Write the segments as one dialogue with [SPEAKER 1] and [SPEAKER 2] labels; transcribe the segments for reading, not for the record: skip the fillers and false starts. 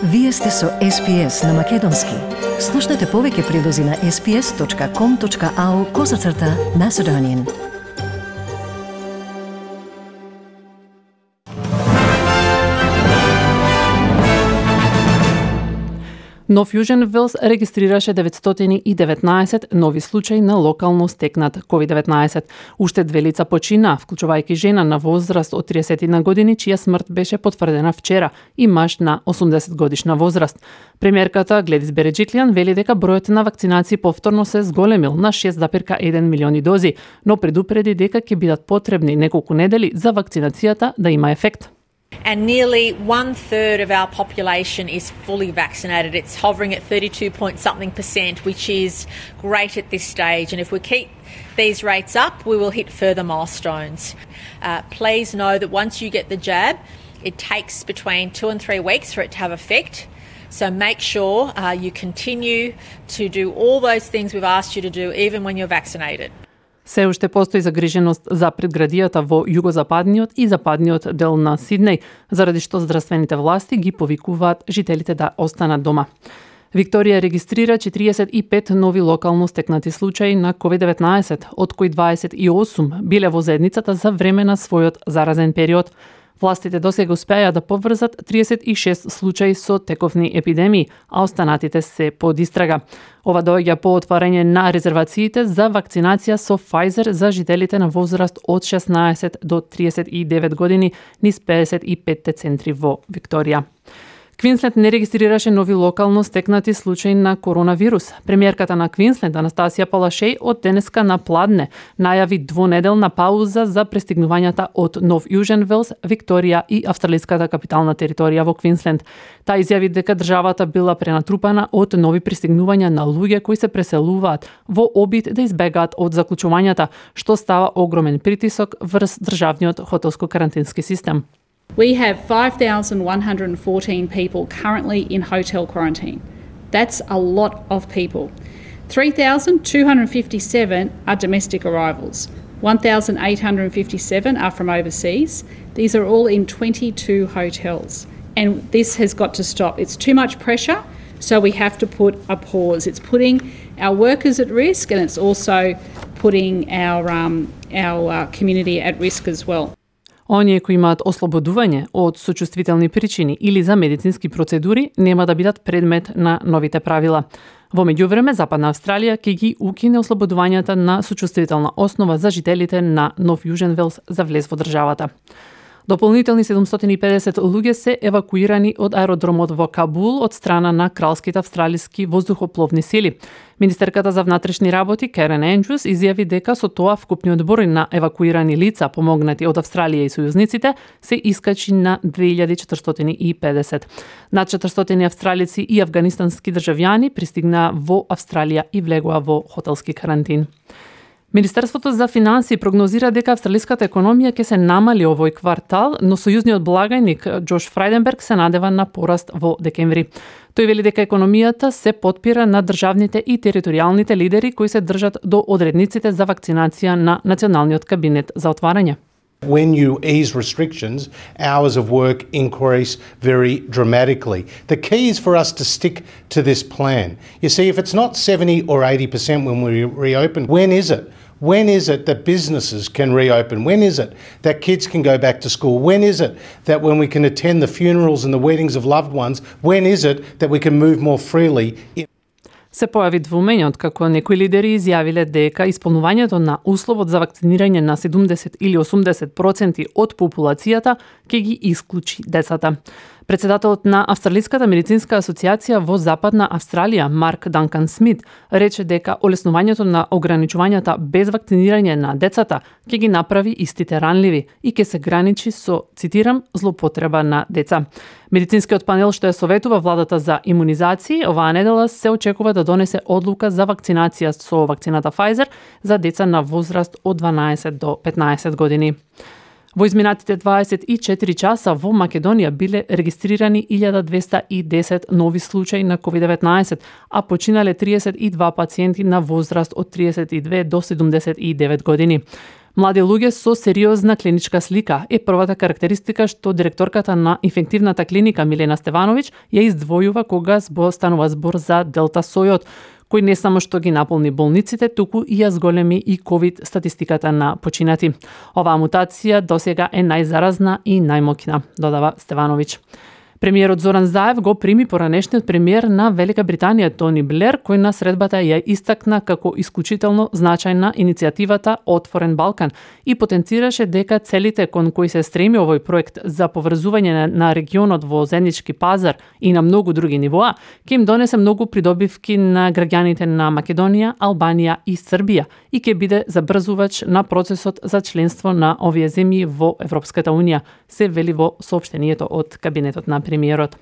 [SPEAKER 1] Вие сте со SPS на Македонски. Слушнете повеќе прилози на sps.com.au/Macedonian.
[SPEAKER 2] Нов Јужен Велс регистрираше 919 нови случаи на локално стекнат COVID-19. Уште 2 лица почина, вклучувајќи жена на возраст од 30 години, чија смрт беше потврдена вчера, и маж на 80 годишна возраст. Премиерката Гледис Береджиклијан вели дека бројот на вакцинации повторно се зголемил на 6,1 милиони дози, но предупреди дека ќе бидат потребни неколку недели за вакцинацијата да има ефект.
[SPEAKER 3] And nearly 1/3 of our population is fully vaccinated. It's hovering at 32-point-something%, which is great at this stage. And if we keep these rates up, we will hit further milestones. Please know that once you get the jab, it takes between 2 and 3 weeks for it to have effect. So make sure you continue to do all those things we've asked you to do, even when you're vaccinated.
[SPEAKER 2] Се уште постои загриженост за предградијата во југозападниот и западниот дел на Сиднеј, заради што здравствените власти ги повикуваат жителите да останат дома. Викторија регистрира 45 нови локално стекнати случаи на COVID-19, од кои 28 биле во заедницата за време на својот заразен период. Властите досега успеа да поврзат 36 случаи со тековни епидемии, а останатите се под истрага. Ова доаѓа по отварање на резервациите за вакцинација со Pfizer за жителите на возраст од 16 до 39 години низ 55 центри во Викторија. Квинсленд не регистрираше нови локално стекнати случаи на коронавирус. Премиерката на Квинсленд, Анастасија Палашеј, од денеска на пладне најави двонеделна пауза за пристигнувањата од Нов Јужен Велс, Викторија и австралиската капитална територија во Квинсленд. Таа изјави дека државата била пренатрупана од нови пристигнувања на луѓе кои се преселуваат во обид да избегаат од заклучувањата, што става огромен притисок врз државниот хотелско-карантински систем.
[SPEAKER 4] We have 5,114 people currently in hotel quarantine. That's a lot of people. 3,257 are domestic arrivals. 1,857 are from overseas. These are all in 22 hotels. And this has got to stop. It's too much pressure, so we have to put a pause. It's putting our workers at risk, and it's also putting our community at risk as well.
[SPEAKER 2] Оние кои имаат ослободување од сочувствителни причини или за медицински процедури нема да бидат предмет на новите правила. Во меѓувреме, Западна Австралија ќе ги укине ослободувањата на сочувствителна основа за жителите на Нов Јужен Велс за влез во државата. Дополнителни 750 луѓе се евакуирани од аеродромот во Кабул од страна на кралските австралиски воздухопловни сили. Министерката за внатрешни работи Керен Ендрюс изјави дека со тоа вкупниот број на евакуирани лица помогнати од Австралија и сојузниците се искачи на 2450. Над 400 австралици и афганистански државјани пристигнаа во Австралија и влегоа во хотелски карантин. Министерството за финансии прогнозира дека австралиската економија ќе се намали овој квартал, но сојузниот благајник Джош Фрајденберг се надева на пораст во декември. Тој вели дека економијата се потпира на државните и територијалните лидери кои се држат до одредниците за вакцинација на Националниот кабинет за отварање.
[SPEAKER 5] When you ease restrictions, hours of work increase very dramatically. The key is for us to stick to this plan. You see, if it's not 70 or 80% when we reopen, when is it? When is it that businesses can reopen? When is it that kids can go back to school? When is it that when we can attend the funerals and the weddings of loved ones, when is it that we can move more freely?
[SPEAKER 2] Се појави двумење откако некои лидери изјавиле дека исполнувањето на условот за вакцинирање на 70 или 80% од популацијата ќе ги исклучи децата. Председателот на Австралиската медицинска асоциација во Западна Австралија, Марк Данкан Смит, рече дека олеснувањето на ограничувањата без вакцинирање на децата ќе ги направи истите ранливи и ќе се граничи со, цитирам, злоупотреба на деца. Медицинскиот панел што ја советува владата за имунизации, оваа недела се очекува да донесе одлука за вакцинација со вакцината Pfizer за деца на возраст од 12 до 15 години. Во изминатите 24 часа во Македонија биле регистрирани 1210 нови случаи на COVID-19, а починале 32 пациенти на возраст од 32 до 79 години. Млади луѓе со сериозна клиничка слика е првата карактеристика што директорката на инфективната клиника Милена Стевановиќ ја издвојува кога станува збор за делта сојот, кој не само што ги наполни болниците, туку и ја зголеми и ковид статистиката на починати. Оваа мутација досега е најзаразна и најмоќна, додава Стевановиќ. Премиерот Зоран Заев го прими поранешниот премиер на Велика Британија Тони Блер, кој на средбата ја истакна како исклучително значајна иницијативата Отворен Балкан и потенцираше дека целите кон кои се стреми овој проект за поврзување на регионот во заеднички пазар и на многу други нивоа, ќе им донесе многу придобивки на граѓаните на Македонија, Албанија и Србија и ќе биде забрзувач на процесот за членство на овие земји во Европската Унија, се вели во соопштението од кабинетот на премиерот.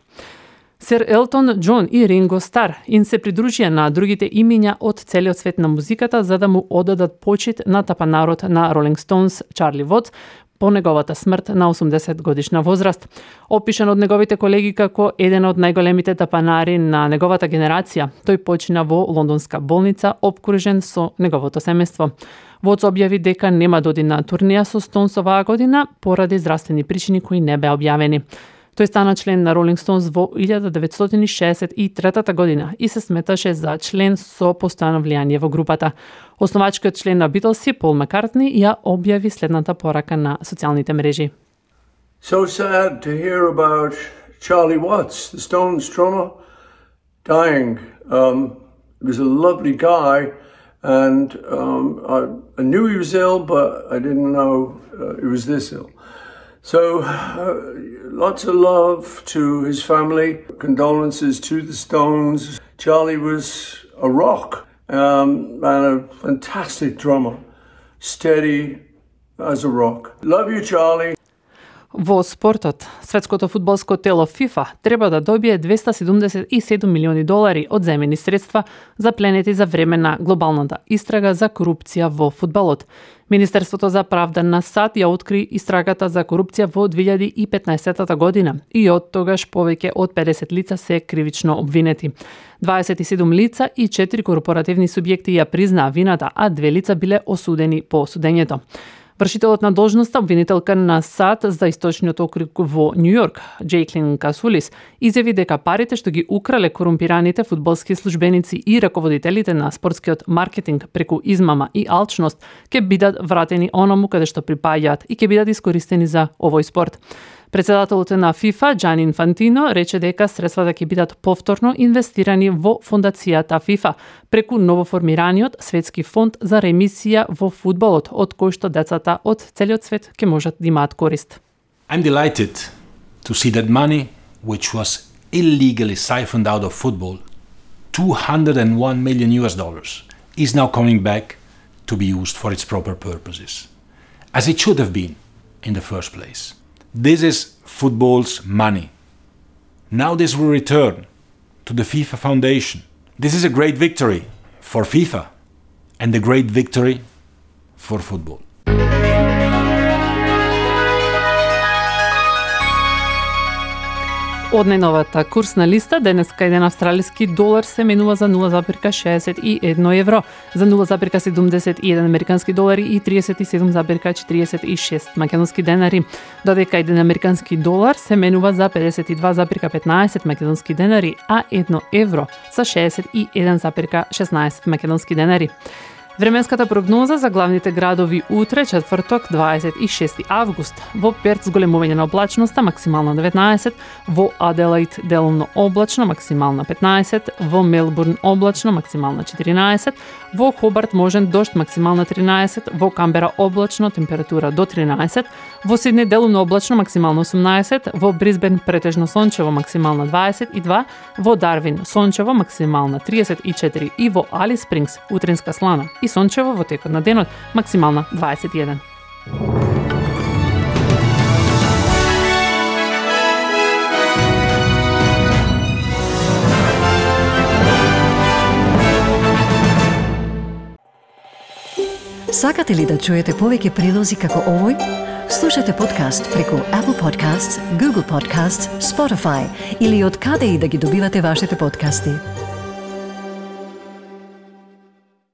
[SPEAKER 2] Сер Елтон Џон и Ринго Стар им се придружија на другите имиња од целиот свет на музиката за да му одадат почит на тапанарот на Ролинг Стоунс Чарли Вотс по неговата смрт на 80 годишна возраст. Опишан од неговите колеги како еден од најголемите тапанари на неговата генерација, тој почина во лондонска болница обкружен со неговото семејство. Вотс објави дека нема да оди на турнеја со Стоунс оваа година поради здравствени причини кои не беа објавени. Тој стана член на Ролинг Стоунс во 1963 година и се сметаше за член со постојано влијание во групата. Основачкиот член на Битлси, Пол Маккартни, ја објави следната порака на социјалните мрежи.
[SPEAKER 6] So sad to hear about Charlie Watts, the Stones drummer, dying. He was a lovely guy, and I knew he was ill, but I didn't know he was this ill. So, lots of love to his family, condolences to the Stones. Charlie was a rock and a fantastic drummer, steady as a rock. Love you, Charlie.
[SPEAKER 2] Во спортот, светското фудбалско тело FIFA треба да добие $277 милиони од земени средства за пленети за време на глобалната истрага за корупција во фудбалот. Министерството за правда на САД ја откри истрагата за корупција во 2015 година и од тогаш повеќе од 50 лица се кривично обвинети. 27 лица и 4 корпоративни субјекти ја признаа вината, а 2 лица биле осудени по судењето. Вршителот на должноста, обвинителка на САД за источниот округ во Њујорк, Джейклин Касулис, изјави дека парите што ги украле корумпираните фудбалски службеници и раководителите на спортскиот маркетинг преку измама и алчност ќе бидат вратени онаму каде што припаѓаат и ќе бидат искористени за овој спорт. Председателот на ФИФА, Џани Инфантино, рече дека средствата ќе бидат повторно инвестирани во фондацијата ФИФА преку новоформираниот светски фонд за ремисија во фудбалот, од кој што децата од целиот свет ќе можат да имаат корист.
[SPEAKER 7] I'm delighted to see that money which was illegally siphoned out of football, $201 million, is now coming back to be used for its proper purposes, as it should have been in the first place. This is football's money. Now this will return to the FIFA Foundation. This is a great victory for FIFA and a great victory for football.
[SPEAKER 2] Од најновата курсна листа, денеска еден австралиски долар се менува за 0,61 евро, за 0,71 американски долари и 37,46 македонски денари, додека еден американски долар се менува за 52,15 македонски денари, а 1 евро за 61,16 македонски денари. Временската прогноза за главните градови утре, четврток, 26 август. Во Перт зголемување на облачноста, максимална 19, во Аделаид делумно облачно, максимална 15, во Мелбурн облачно, максимална 14, во Хобарт можен дожд, максимална 13, во Камбера облачно, температура до 13, во Сиднеј делумно облачно, максимална 18, во Брисбен претежно сончево, максимална 22, во Дарвин сончево, максимална 34 и во Алис Спрингс утринска слана и сончево во текот на денот, максимална 21.
[SPEAKER 1] Сакате ли да чуете повеќе прилози како овој? Слушате подкаст преку Apple Podcasts, Google Podcasts, Spotify или од каде и да ги добивате вашите подкасти.